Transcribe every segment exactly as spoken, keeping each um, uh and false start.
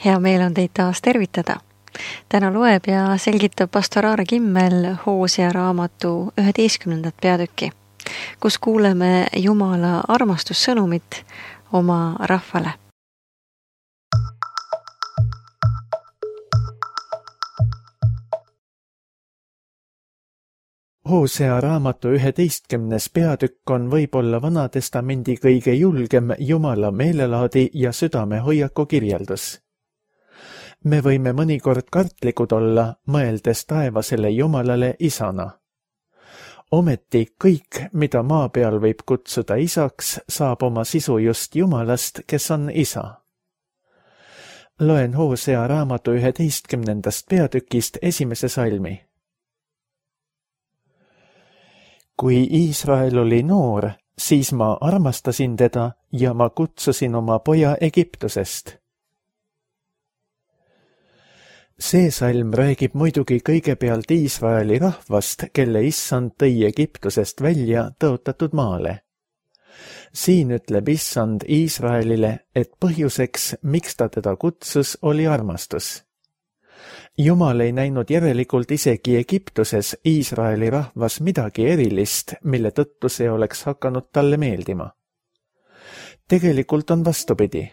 Hea meel on teid taas tervitada. Täna loeb ja selgitab pastor Aare Kimmel Hoosea raamatu üheteistkümnendat peatükki, kus kuuleme Jumala armastussõnumit oma rahvale. Hoosea raamatu üheteistkümnes peatükk on võib-olla Vanatestamendi kõige julgem Jumala meelelaadi ja südamehoiaku kirjeldus. Me võime mõnikord kartlikud olla, mõeldes taevasele Jumalale isana. Ometi kõik, mida maa peal võib kutsuda isaks, saab oma sisu just Jumalast, kes on isa. Loen Hoosea raamatu üheteistkümnendast peatükist esimese salmi. Kui Iisrael oli noor, siis ma armastasin teda ja ma kutsusin oma poja Egiptusest. See salm räägib muidugi kõigepealt Iisraeli rahvast, kelle issand tõi Egiptusest välja tõotatud maale. Siin ütleb issand Iisraelile, et põhjuseks, miks ta teda kutsus, oli armastus. Jumal ei näinud järelikult isegi Egiptuses Iisraeli rahvas midagi erilist, mille tõttu see oleks hakanud talle meeldima. Tegelikult on vastupidi.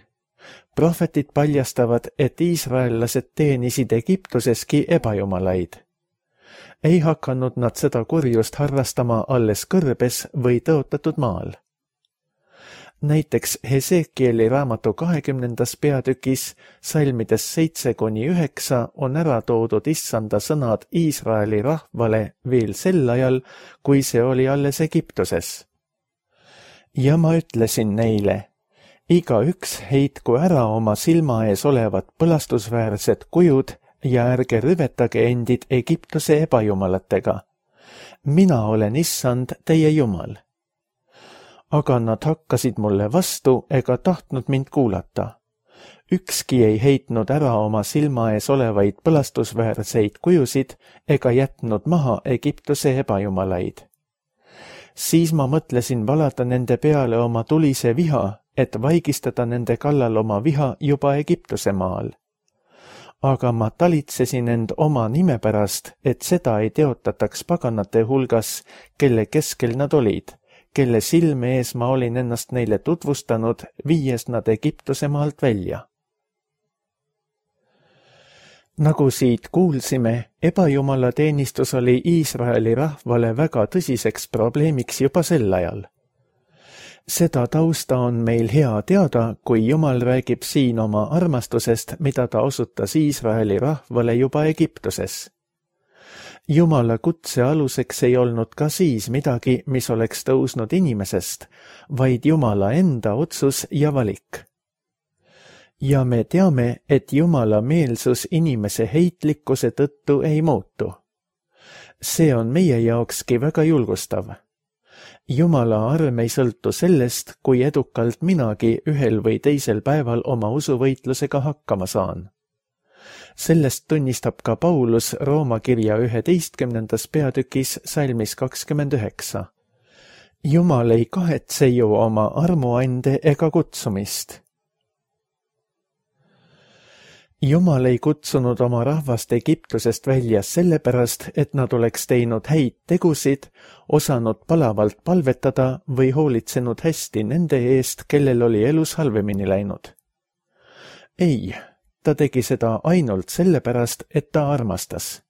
Prohvetid paljastavad, et iisraellased teenisid Egiptuseski ebajumalaid. Ei hakanud nad seda kurjust harrastama alles kõrbes või tõotatud maal. Näiteks Hesekieli raamatu kahekümnendas peatükis salmides seitse kuni üheksa on ära toodud issanda sõnad Iisraeli rahvale veel sel ajal, kui see oli alles Egiptuses. Ja ma ütlesin neile, iga üks heitku ära oma silma ees olevad põlastusväärsed kujud ja ärge rüvetage endid Egiptuse ebajumalatega. Mina olen issand teie Jumal. Aga nad hakkasid mulle vastu ega tahtnud mind kuulata. Ükski ei heitnud ära oma silma ees olevaid põlastusväärseid kujusid ega jätnud maha Egiptuse ebajumalaid. Siis ma mõtlesin valada nende peale oma tulise viha, et vaigistada nende kallal oma viha juba Egiptuse maal. Aga ma talitsesin end oma nime pärast, et seda ei teotataks paganate hulgas, kelle keskel nad olid, kelle silme ees ma olin ennast neile tutvustanud, viies nad Egiptuse maalt välja. Nagu siit kuulsime, ebajumala teenistus oli Iisraeli rahvale väga tõsiseks probleemiks juba sel ajal. Seda tausta on meil hea teada, kui Jumal räägib siin oma armastusest, mida ta osutas Iisraeli rahvale juba Egiptuses. Jumala kutse aluseks ei olnud ka siis midagi, mis oleks tõusnud inimesest, vaid Jumala enda otsus ja valik. Ja me teame, et Jumala meelsus inimese heitlikkuse tõttu ei muutu. See on meie jaokski väga julgustav. Jumala arm ei sõltu sellest, kui edukalt minagi ühel või teisel päeval oma usuvõitlusega hakkama saan. Sellest tunnistab ka Paulus Rooma kirja üheteistkümnendas peatükis salmis kakskümmend üheksa. Jumal ei kahetse ju oma armuande ega kutsumist. Jumal ei kutsunud oma rahvast Egiptusest välja sellepärast, et nad oleks teinud häid tegusid, osanud palavalt palvetada või hoolitsenud hästi nende eest, kellel oli elus halvemini läinud. Ei, ta tegi seda ainult sellepärast, et ta armastas.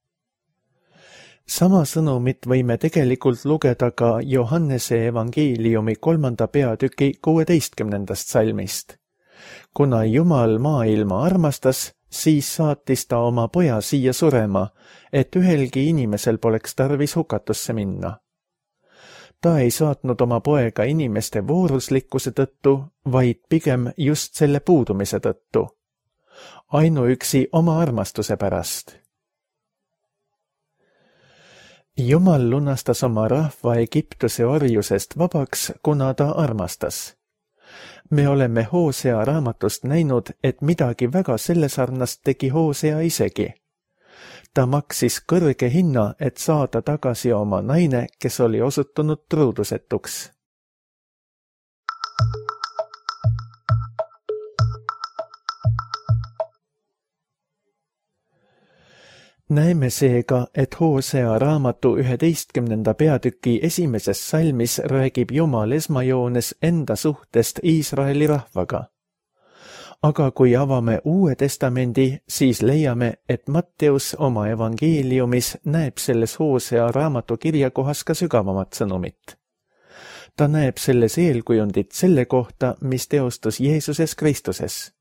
Sama sõnumit võime tegelikult lugeda ka Johannese evangeeliumi kolmanda peatüki kuueteistkümnendast salmist. Kuna Jumal maailma armastas, siis saatis ta oma poja siia surema, et ühelgi inimesel poleks tarvis hukatusse minna. Ta ei saatnud oma poega inimeste vooruslikkuse tõttu, vaid pigem just selle puudumise tõttu. Ainuüksi oma armastuse pärast. Jumal lunastas oma rahva Egiptuse orjusest vabaks, kuna ta armastas. Me oleme Hoosea raamatust näinud, et midagi väga sellesarnast tegi Hoosea isegi. Ta maksis kõrge hinna, et saada tagasi oma naine, kes oli osutunud truudusetuks. näeme seega, et Hoosea raamatu üheteistkümnenda peatüki esimeses salmis räägib Jumal esmajoones enda suhtest Iisraeli rahvaga. Aga kui avame Uue Testamendi, siis leiame, et Matteus oma evangeeliumis näeb selles Hoosea raamatu kirjakohas ka sügavamat sõnumit. Ta näeb selles eelkujundit selle kohta, mis teostus Jeesuses Kristuses.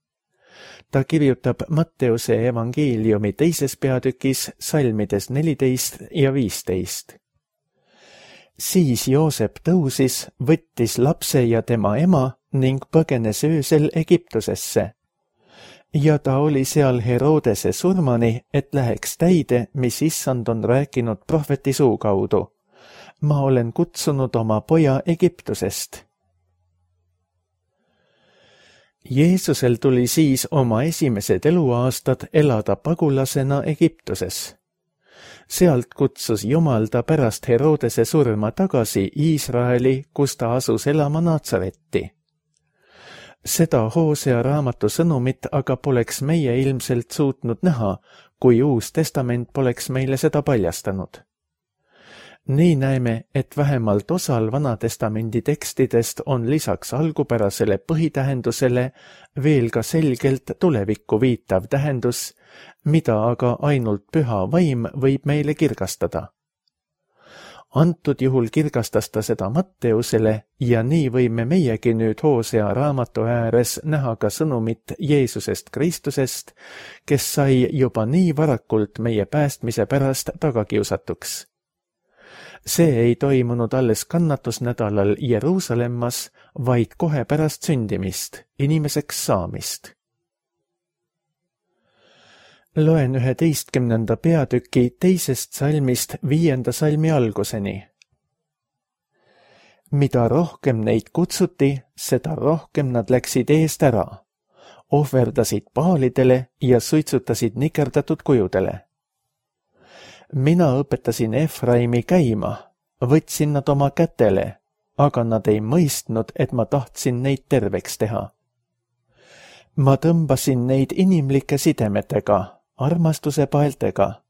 Ta kirjutab Matteuse evangeeliumi teises peatükis salmides neliteist ja viisteist. Siis Joosep tõusis, võttis lapse ja tema ema ning põgenes öösel Egiptusesse. Ja ta oli seal Herodese surmani, et läheks täide, mis Issand on rääkinud prohveti suu kaudu. Ma olen kutsunud oma poja Egiptusest. Jeesusel tuli siis oma esimesed eluaastad elada pagulasena Egiptuses. Sealt kutsus Jumal ta pärast Herodese surma tagasi Iisraeli, kus ta asus elama Natsaretti. Seda Hoosea raamatu sõnumit aga poleks meie ilmselt suutnud näha, kui Uus Testament poleks meile seda paljastanud. Nii näeme, et vähemalt osal Vanatestamendi tekstidest on lisaks algupärasele põhitähendusele veel ka selgelt tulevikku viitav tähendus, mida aga ainult püha vaim võib meile kirgastada. Antud juhul kirgastas ta seda Matteusele ja nii võime meiegi nüüd Hoosea raamatu ääres näha ka sõnumit Jeesusest Kristusest, kes sai juba nii varakult meie päästmise pärast tagakiusatuks. See ei toimunud alles kannatusnädalal Jeruusalemmas, vaid kohe pärast sündimist, inimeseks saamist. Loen üheteistkümnenda peatüki teisest salmist viienda salmi alguseni. Mida rohkem neid kutsuti, seda rohkem nad läksid eest ära, ohverdasid paalidele ja suitsutasid nikerdatud kujudele. Mina õpetasin Efraimi käima, võtsin nad oma kätele, aga nad ei mõistnud, et ma tahtsin neid terveks teha. Ma tõmbasin neid inimlike sidemetega, armastuse paeltega.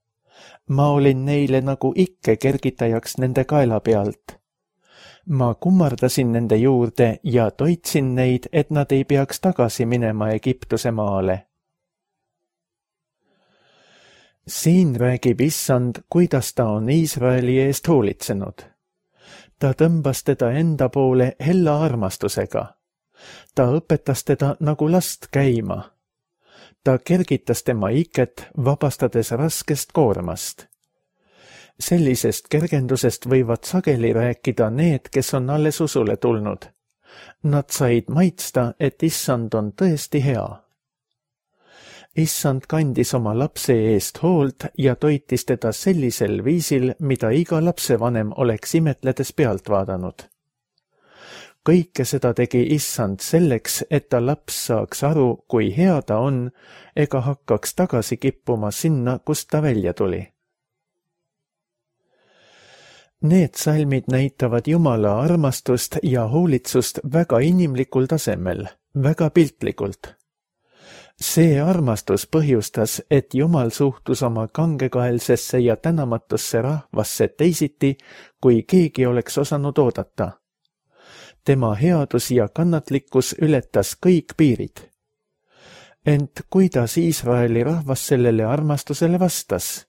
Ma olin neile nagu ikke kergitajaks nende kaela pealt. Ma kummardasin nende juurde ja toitsin neid, et nad ei peaks tagasi minema Egiptuse maale. Siin räägib Issand, kuidas ta on Iisraeli eest hoolitsenud. Ta tõmbas teda enda poole hella armastusega. Ta õpetas teda nagu last käima. Ta kergitas tema iket, vabastades raskest koormast. Sellisest kergendusest võivad sageli rääkida need, kes on alles usule tulnud. Nad said maitsta, et Issand on tõesti hea. Issand kandis oma lapse eest hoolt ja toitis teda sellisel viisil, mida iga lapsevanem oleks imetledes pealt vaadanud. Kõike seda tegi Issand selleks, et ta laps saaks aru, kui hea ta on, ega hakkaks tagasi kippuma sinna, kust ta välja tuli. Need salmid näitavad Jumala armastust ja hoolitsust väga inimlikul tasemel, väga piltlikult. See armastus põhjustas, et Jumal suhtus oma kangekaelsesse ja tänamatusse rahvasse teisiti, kui keegi oleks osanud oodata. Tema headus ja kannatlikkus ületas kõik piirid. Ent kuidas Iisraeli rahvas sellele armastusele vastas?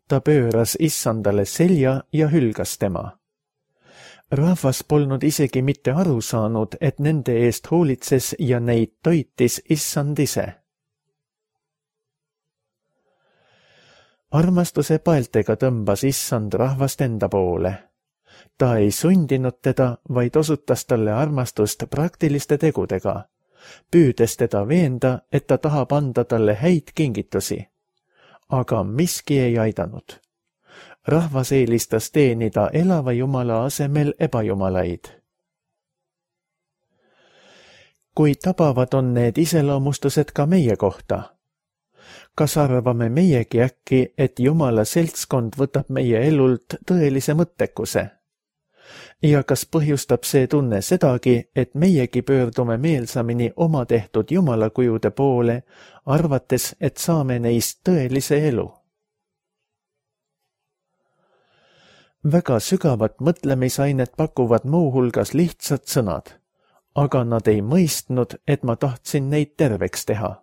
Ta pööras Issandale selja ja hülgas tema. Rahvas polnud isegi mitte aru saanud, et nende eest hoolitses ja neid toitis Issand ise. Armastuse paeltega tõmbas Issand rahvast enda poole. Ta ei sundinud teda, vaid osutas talle armastust praktiliste tegudega, püüdes teda veenda, et ta tahab anda talle häid kingitusi. Aga miski ei aidanud. Rahvas eelistas teenida elava Jumala asemel ebajumalaid. Kui tabavad on need iseloomustused ka meie kohta? Kas arvame meiegi äkki, et Jumala seltskond võtab meie elult tõelise mõttekuse? Ja kas põhjustab see tunne sedagi, et meiegi pöördume meelsamini oma tehtud Jumala kujude poole, arvates, et saame neist tõelise elu? väga sügavat mõtlemisainet pakuvad muuhulgas lihtsad sõnad, aga nad ei mõistnud, et ma tahtsin neid terveks teha.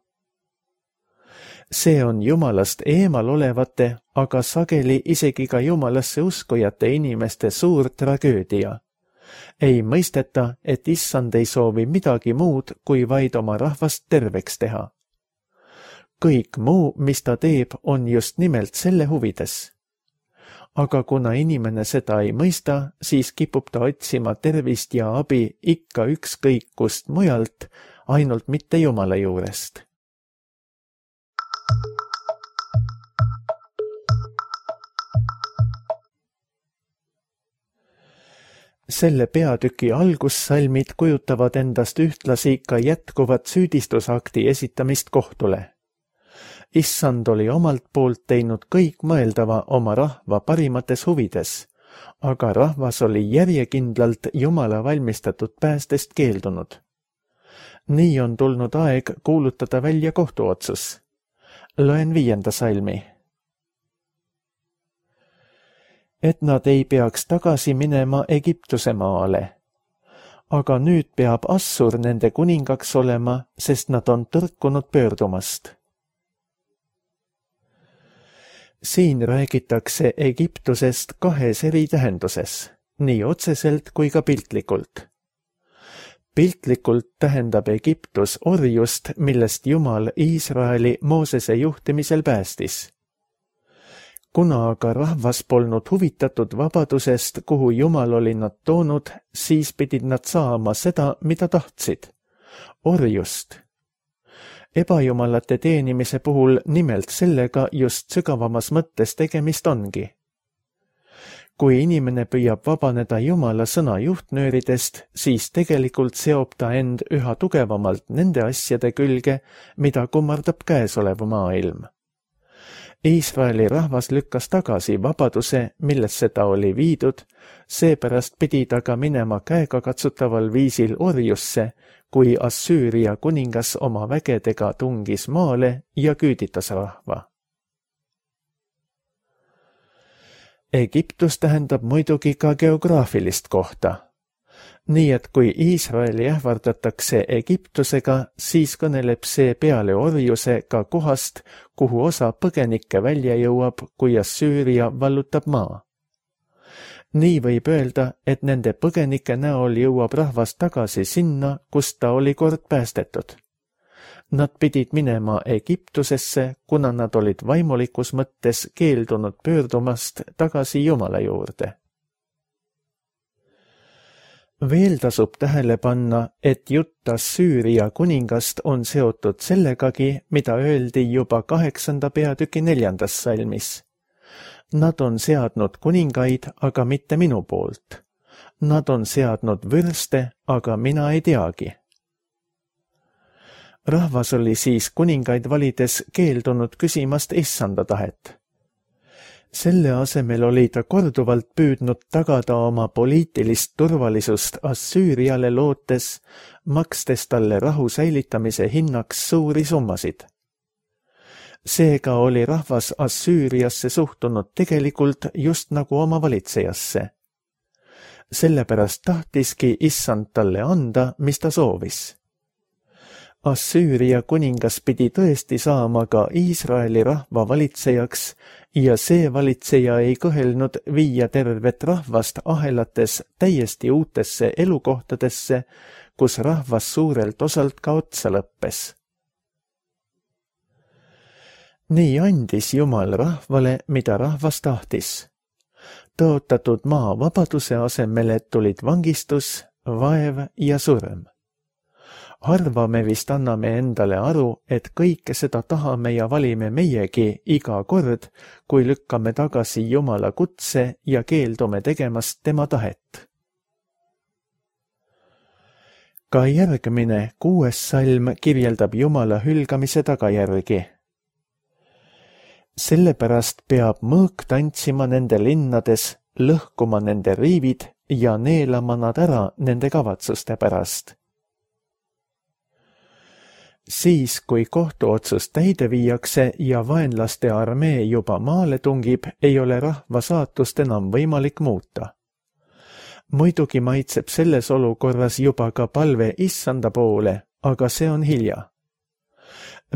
See on Jumalast eemal olevate, aga sageli isegi ka Jumalasse uskujate inimeste suur tragöödia. Ei mõisteta, et Issand ei soovi midagi muud, kui vaid oma rahvast terveks teha. Kõik muu, mis ta teeb, on just nimelt selle huvides. Aga kuna inimene seda ei mõista, siis kipub ta otsima tervist ja abi ikka ükskõik kust mujalt, ainult mitte Jumala juurest. Selle peatüki algussalmid kujutavad endast ühtlasi ka jätkuvat süüdistusakti esitamist kohtule. Issand oli omalt poolt teinud kõik mõeldava oma rahva parimates huvides, aga rahvas oli järjekindlalt Jumala valmistatud päästest keeldunud. Nii on tulnud aeg kuulutada välja kohtuotsus. Loen viienda salmi. Et nad ei peaks tagasi minema Egiptuse maale. Aga nüüd peab Assur nende kuningaks olema, sest nad on tõrkunud pöördumast. Siin räägitakse Egiptusest kahes eri tähenduses, nii otseselt kui ka piltlikult. Piltlikult tähendab Egiptus orjust, millest Jumal Iisraeli Moosese juhtimisel päästis. Kuna aga rahvas polnud huvitatud vabadusest, kuhu Jumal oli nad toonud, siis pidid nad saama seda, mida tahtsid. Orjust. Ebajumalate teenimise puhul nimelt sellega just sügavamas mõttes tegemist ongi. Kui inimene püüab vabaneda Jumala sõna juhtnööridest, siis tegelikult seob ta end üha tugevamalt nende asjade külge, mida kummardab käesolev maailm. Iisraeli rahvas lükkas tagasi vabaduse, millesse ta oli viidud, seepärast pidi ta ka minema käegakatsutaval viisil orjusse, kui Assüüria kuningas oma vägedega tungis maale ja küüditas rahva. Egiptus tähendab muidugi ka geograafilist kohta. Nii et kui Iisraeli ähvardatakse Egiptusega, siis kõneleb see peale orjuse ka kohast, kuhu osa põgenikke välja jõuab, kui Assüüria vallutab maa. Nii võib öelda, et nende põgenike näol jõuab rahvas tagasi sinna, kust ta oli kord päästetud. Nad pidid minema Egiptusesse, kuna nad olid vaimulikus mõttes keeldunud pöördumast tagasi Jumala juurde. Veel tasub tähele panna, et jutt Assüüria kuningast on seotud sellegagi, mida öeldi juba kaheksanda peatüki neljandas salmis. Nad on seadnud kuningaid, aga mitte minu poolt. Nad on seadnud vürste, aga mina ei teagi. Rahvas oli siis kuningaid valides keeldunud küsimast Issanda tahet. Selle asemel oli ta korduvalt püüdnud tagada oma poliitilist turvalisust Assüüriale lootes, makstes talle rahu säilitamise hinnaks suuri summasid. Seega oli rahvas Assüüriasse suhtunud tegelikult just nagu oma valitsejasse. Sellepärast tahtiski Issand talle anda, mis ta soovis. Assüüria kuningas pidi tõesti saama ka Iisraeli rahva valitsejaks ja see valitseja ei kõhelnud viia tervet rahvast ahelates täiesti uutesse elukohtadesse, kus rahvas suurelt osalt ka otsa lõppes. Nii andis Jumal rahvale, mida rahvas tahtis. Tõotatud maa vabaduse asemele tulid vangistus, vaev ja surm. Harva me vist anname endale aru, et kõike seda tahame ja valime meiegi iga kord, kui lükkame tagasi Jumala kutse ja keeldume tegemast tema tahet. Ka järgmine kuues salm kirjeldab Jumala hülgamise tagajärgi. Sellepärast peab mõõk tantsima nende linnades, lõhkuma nende riivid ja neelama nad ära nende kavatsuste pärast. Siis, kui kohtuotsus täide viiakse ja vaenlaste armee juba maale tungib, ei ole rahva saatust enam võimalik muuta. Muidugi maitseb selles olukorras juba ka palve issanda poole, aga see on hilja.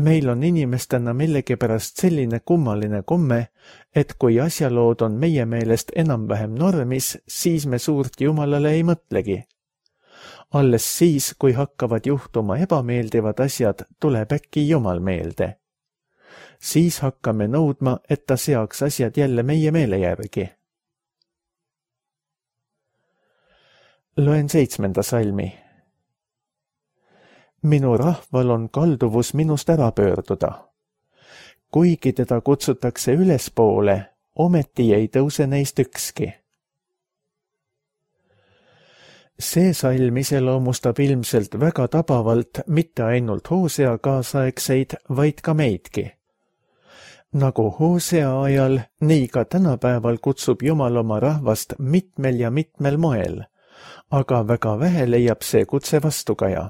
Meil on inimestena millegipärast selline kummaline komme, et kui asjalood on meie meelest enam-vähem normis, siis me suurt Jumalale ei mõtlegi. Alles siis, kui hakkavad juhtuma ebameeldivad asjad, tuleb äkki Jumal meelde. Siis hakkame nõudma, et ta seaks asjad jälle meie meele järgi. Loen seitsmenda salmi. Minu rahval on kalduvus minust ära pöörduda. Kuigi teda kutsutakse ülespoole, ometi ei tõuse neist ükski. See salm iseloomustab ilmselt väga tabavalt mitte ainult Hoosea kaasaegseid, vaid ka meidki. Nagu Hoosea ajal, nii ka tänapäeval kutsub Jumal oma rahvast mitmel ja mitmel moel, aga väga vähe leiab see kutse vastukaja.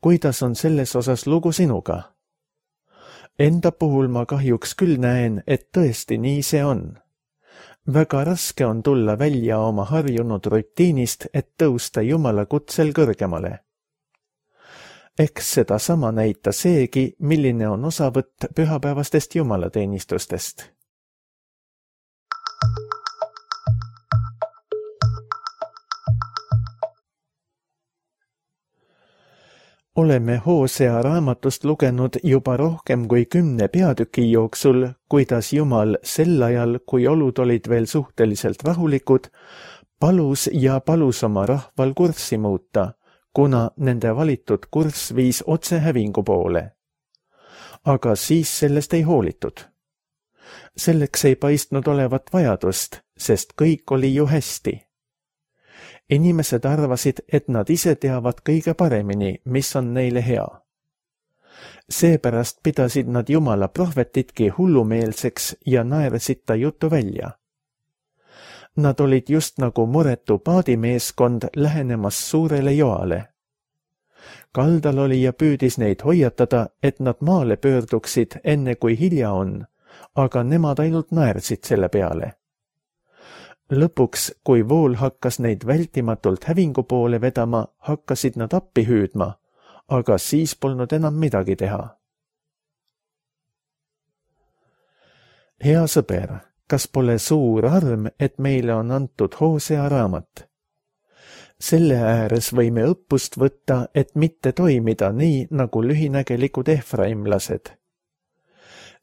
Kuidas on selles osas lugu sinuga? Enda puhul ma kahjuks küll näen, et tõesti nii see on. Väga raske on tulla välja oma harjunud rutiinist, et tõusta Jumala kutsel kõrgemale. Eks seda sama näita seegi, milline on osavõtt pühapäevastest jumalateenistustest. Oleme Hoosea raamatust lugenud juba rohkem kui kümne peatüki jooksul, kuidas Jumal sel ajal, kui olud olid veel suhteliselt rahulikud, palus ja palus oma rahval kurssi muuta, kuna nende valitud kurss viis otse hävingu poole. Aga siis sellest ei hoolitud. Selleks ei paistnud olevat vajadust, sest kõik oli ju hästi. Inimesed arvasid, et nad ise teavad kõige paremini, mis on neile hea. Seepärast pidasid nad Jumala prohvetitki hullumeelseks ja naersid ta jutu välja. Nad olid just nagu muretu paadimeeskond lähenemas suurele joale. Kaldal oli ja püüdis neid hoiatada, et nad maale pöörduksid enne kui hilja on, aga nemad ainult naersid selle peale. Lõpuks, kui vool hakkas neid vältimatult hävingu poole vedama, hakkasid nad appi hüüdma, aga siis polnud enam midagi teha. Hea sõber, kas pole suur arm, et meile on antud Hoosea raamat? Selle ääres võime õppust võtta, et mitte toimida nii, nagu lühinägelikud Efraimlased.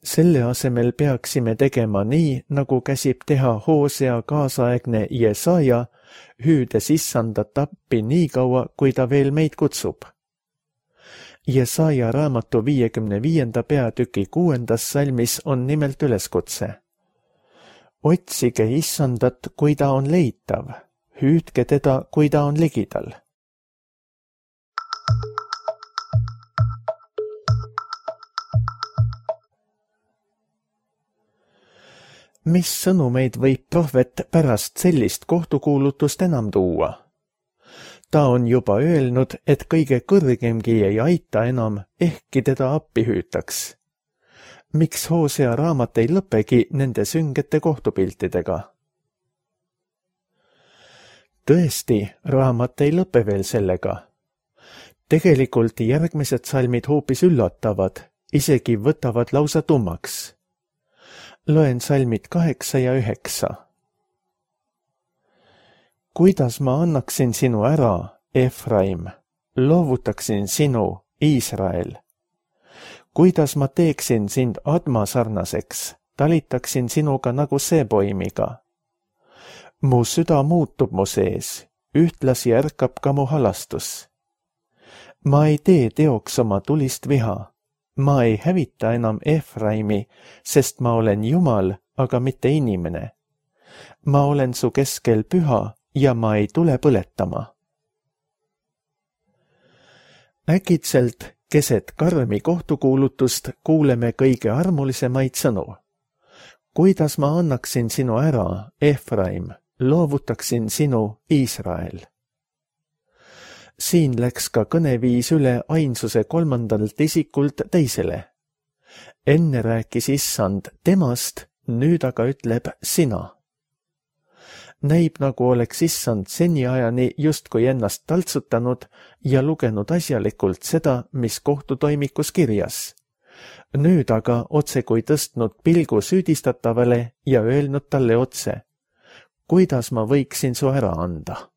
Selle asemel peaksime tegema nii, nagu käsib teha Hoosea kaasaegne Jesaja, hüüdes issandat appi nii kaua, kui ta veel meid kutsub. Jesaja raamatu viiekümne viienda peatüki kuuendas salmis on nimelt üleskutse. Otsige issandat, kui ta on leitav, hüüdke teda, kui ta on ligidal. Mis sõnumeid võib prohvet pärast sellist kohtukuulutust enam tuua? Ta on juba öelnud, et kõige kõrgemgi ei aita enam, ehkki teda appi hüütaks. Miks Hoosea raamat ei lõpegi nende süngete kohtupiltidega? Tõesti, raamat ei lõpe veel sellega. Tegelikult järgmised salmid hoopis üllatavad, isegi võtavad lausa tummaks. Loen salmid kaheksa ja üheksa. Kuidas ma annaksin sinu ära, Efraim, loovutaksin sinu, Iisrael? Kuidas ma teeksin sind Adma sarnaseks, talitaksin sinuga nagu seepoimiga? Mu süda muutub mu sees, ühtlasi ärkab ka mu halastus. Ma ei tee teoks oma tulist viha. Ma ei hävita enam Efraimi, sest ma olen Jumal, aga mitte inimene. Ma olen su keskel püha ja ma ei tule põletama. Äkitselt, keset karmi kohtukuulutust kuuleme kõige armulisemaid sõnu. Kuidas ma annaksin sinu ära, Efraim, loovutaksin sinu, Iisrael? siin läks ka kõneviis üle ainsuse kolmandalt isikult teisele. Enne rääkis issand temast, nüüd aga ütleb sina. Näib, nagu oleks issand seniajani justkui ennast taltsutanud ja lugenud asjalikult seda, mis kohtutoimikus kirjas. Nüüd aga otse kui tõstnud pilgu süüdistatavale ja öelnud talle otse, kuidas ma võiksin su ära anda.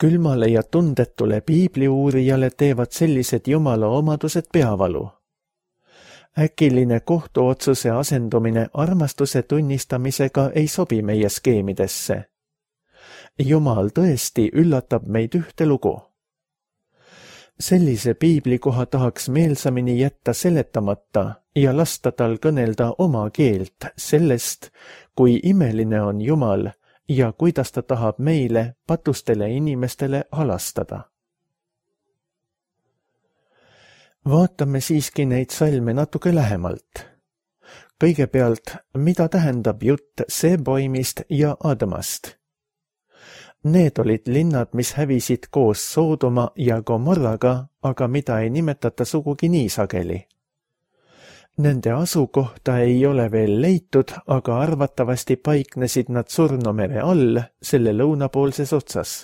Külmale ja tundetule piibliuurijale teevad sellised jumala omadused peavalu. Äkiline kohtuotsuse asendumine armastuse tunnistamisega ei sobi meie skeemidesse. Jumal tõesti üllatab meid ühte lugu. Sellise piiblikoha tahaks meelsamini jätta seletamata ja lasta tal kõnelda oma keelt sellest, kui imeline on Jumal ja kuidas ta tahab meile, patustele inimestele halastada. Vaatame siiski neid salme natuke lähemalt. Kõigepealt, mida tähendab jutt Seboimist ja Admast? Need olid linnad, mis hävisid koos Soodoma ja Gomorraga, aga mida ei nimetata sugugi nii sageli. Nende asukohta ei ole veel leitud, aga arvatavasti paiknesid nad Surnumere all, selle lõunapoolses otsas.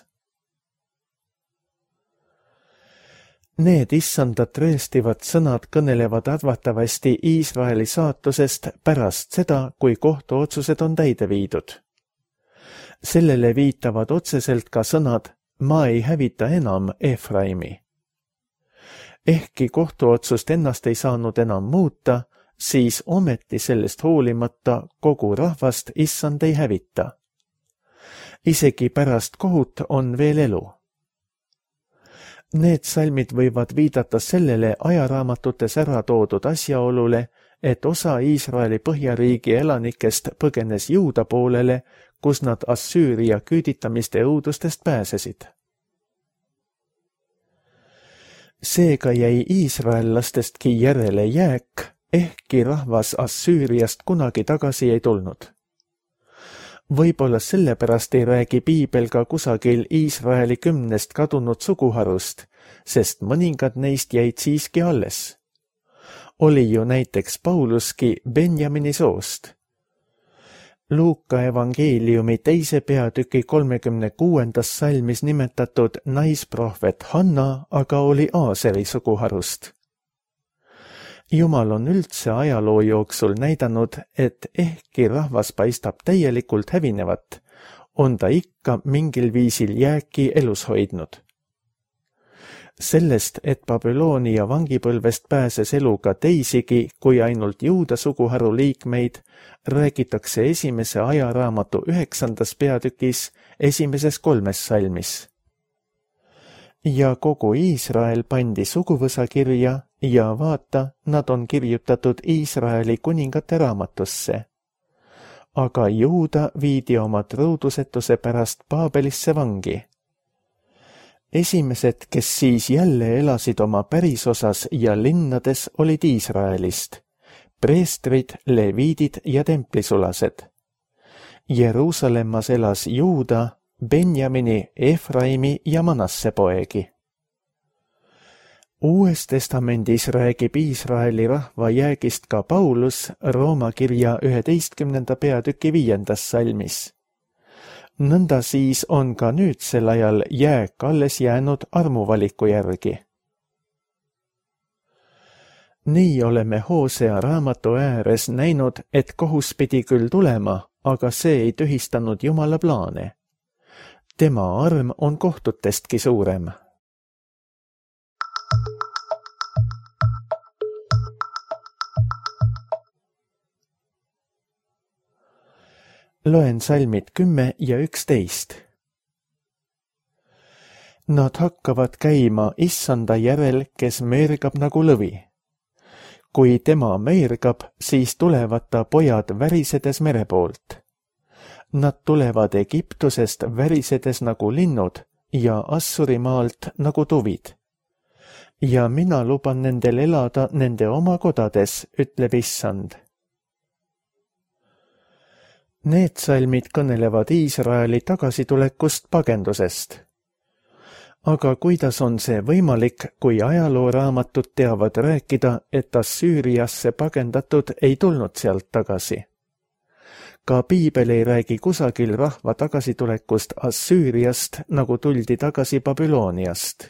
Need issandat rööstivad sõnad kõnelevad arvatavasti Iisraeli saatusest pärast seda, kui kohtuotsused on täide viidud. Sellele viitavad otseselt ka sõnad, ma ei hävita enam Efraimi. Ehkki kohtuotsust ennast ei saanud enam muuta, siis ometi sellest hoolimata kogu rahvast issand ei hävita. Isegi pärast kohut on veel elu. Need salmid võivad viidata sellele ajaraamatutes ära toodud asjaolule, et osa Iisraeli põhjariigi elanikest põgenes Juuda poolele, kus nad Assüüria küüditamiste õudustest pääsesid. Seega jäi iisraellastestki järele jääk, ehkki rahvas Assüüriast kunagi tagasi ei tulnud. Võib-olla sellepärast ei räägi piibel ka kusagil Iisraeli kümnest kadunud suguharust, sest mõningad neist jäid siiski alles. Oli ju näiteks Pauluski Benjamini soost. Luuka evangeeliumi teise peatüki kolmekümne kuuendas salmis nimetatud naisprohvet Hanna aga oli Aaseri suguharust. Jumal on üldse ajaloo jooksul näidanud, et ehkki rahvas paistab täielikult hävinevat, on ta ikka mingil viisil jääki elus hoidnud. Sellest, et Babyloonia vangipõlvest pääses eluga teisigi kui ainult Juuda suguharu liikmeid, räägitakse esimese ajaraamatu üheksandas peatükis esimeses kolmes salmis. Ja kogu Iisrael pandi suguvõsa kirja ja vaata, nad on kirjutatud Iisraeli kuningate raamatusse. Aga Juuda viidi oma truudusetuse pärast Paabelisse vangi. Esimesed, kes siis jälle elasid oma pärisosas ja linnades, olid Iisraelist, preestrid, leviidid ja templisulased. Jeruusalemmas elas Juuda, Benjamini, Efraimi ja Manasse poegi. Uues testamendis räägib Iisraeli rahva jäägist ka Paulus Rooma kirja üheteistkümnenda peatüki viiendas salmis. Nõnda siis on ka nüüdsel ajal jääk alles jäänud armuvaliku järgi. Nii oleme Hosea raamatu ääres näinud, et kohus pidi küll tulema, aga see ei tühistanud Jumala plaane. Tema arm on kohtutestki suurem. Loen salmid kümme ja üksteist. Nad hakkavad käima issanda järel, kes meergab nagu lõvi. Kui tema meergab, siis tulevad ta pojad värisedes mere poolt. Nad tulevad Egiptusest värisedes nagu linnud ja Assurimaalt nagu tuvid. Ja mina luban nendel elada nende oma kodades, ütleb issand. Need salmid kõnelevad Iisraeli tagasitulekust pagendusest. Aga kuidas on see võimalik, kui ajalooraamatud teavad rääkida, et Assüüriasse pagendatud ei tulnud sealt tagasi? Ka piibel ei räägi kusagil rahva tagasitulekust Assüüriast, nagu tuldi tagasi Babyloniast.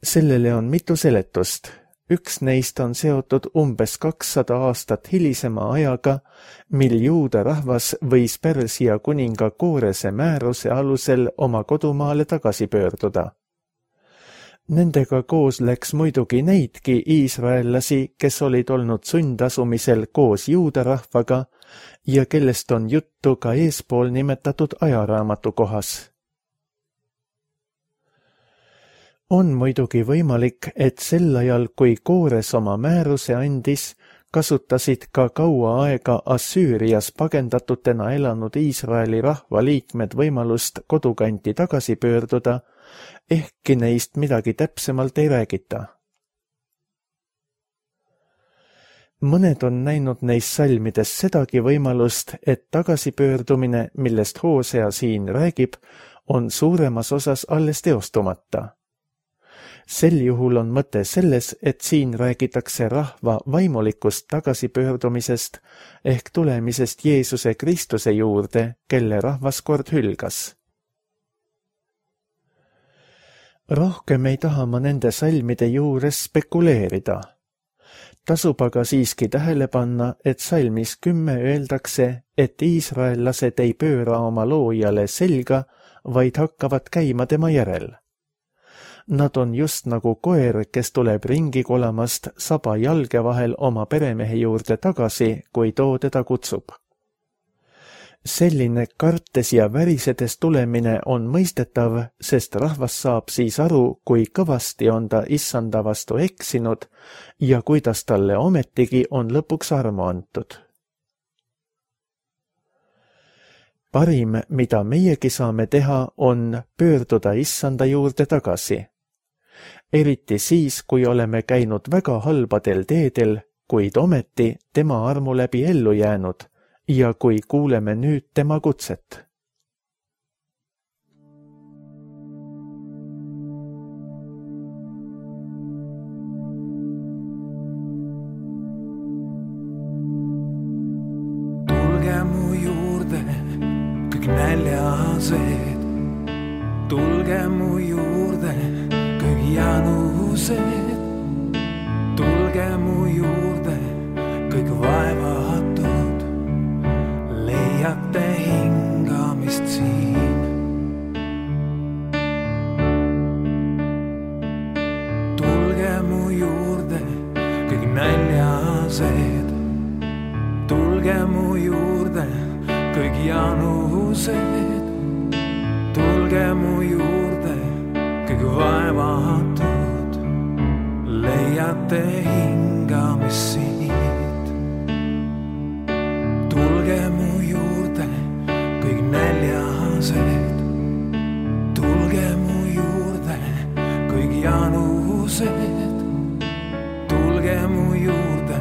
Sellele on mitu seletust. Üks neist on seotud umbes kakssada aastat hilisema ajaga, mil juuda rahvas võis Persia kuninga Koorese määruse alusel oma kodumaale tagasi pöörduda. Nendega koos läks muidugi neidki iisraellasi, kes olid olnud sundasumisel koos juuda rahvaga ja kellest on juttu ka eespool nimetatud ajaraamatu kohas. On muidugi võimalik, et sel ajal, kui Koores oma määruse andis, kasutasid ka kaua aega Assüürias pagendatutena elanud Iisraeli rahvaliikmed võimalust kodukanti tagasi pöörduda, ehkki neist midagi täpsemalt ei räägita. Mõned on näinud neis salmides sedagi võimalust, et tagasipöördumine, millest Hoosea siin räägib, on suuremas osas alles teostumata. Sel juhul on mõte selles, et siin räägitakse rahva vaimulikust tagasipöördumisest ehk tulemisest Jeesuse Kristuse juurde, kelle rahvas kord hülgas. Rohkem ei taha ma nende salmide juures spekuleerida. Tasub aga siiski tähele panna, et salmis kümme öeldakse, et iisraellased ei pööra oma loojale selga, vaid hakkavad käima tema järel. Nad on just nagu koer, kes tuleb ringi kolamast saba jalge vahel oma peremehe juurde tagasi, kui too teda kutsub. Selline kartes ja värisedes tulemine on mõistetav, sest rahvas saab siis aru, kui kõvasti on ta issanda vastu eksinud ja kuidas talle ometigi on lõpuks armu antud. Parim, mida meiegi saame teha, on pöörduda issanda juurde tagasi. Eriti siis, kui oleme käinud väga halbadel teedel, kuid ometi tema armu läbi ellu jäänud ja kui kuuleme nüüd tema kutset. Tulge mu juurde, kõik näljased, tulge mu juurde, kõik janused, tulge mu juurde, kõik vaevatud, leiate hingamist siin. Tulge mu juurde, kõik näljased, tulge mu juurde, kõik janused, tulge mu juurde, kõik vaevatud, leiate hingamist siit. Tulge mu juurde, kõik näljased, tulge mu juurde, kõik janused, tulge mu juurde,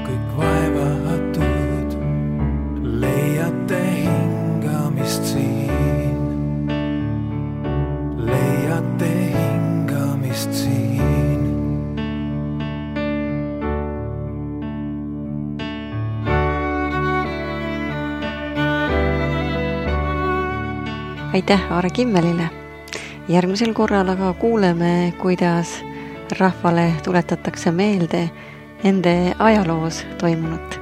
kõik vaevatud, leiate hingamist siin. Leiate hingamist siin. Aitäh Aare Kimmelile. Järgmisel korral aga kuuleme, kuidas rahvale tuletatakse meelde ende ajaloos toimunut.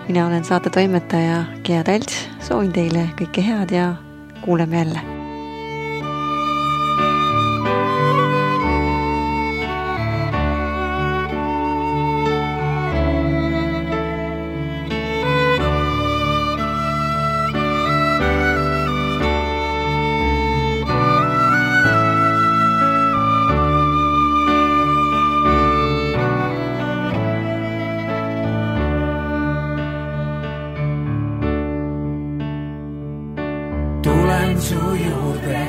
Mina olen saate toimetaja Gea Talts, soovin teile kõike head ja kuuleme jälle. Tulen su juurde,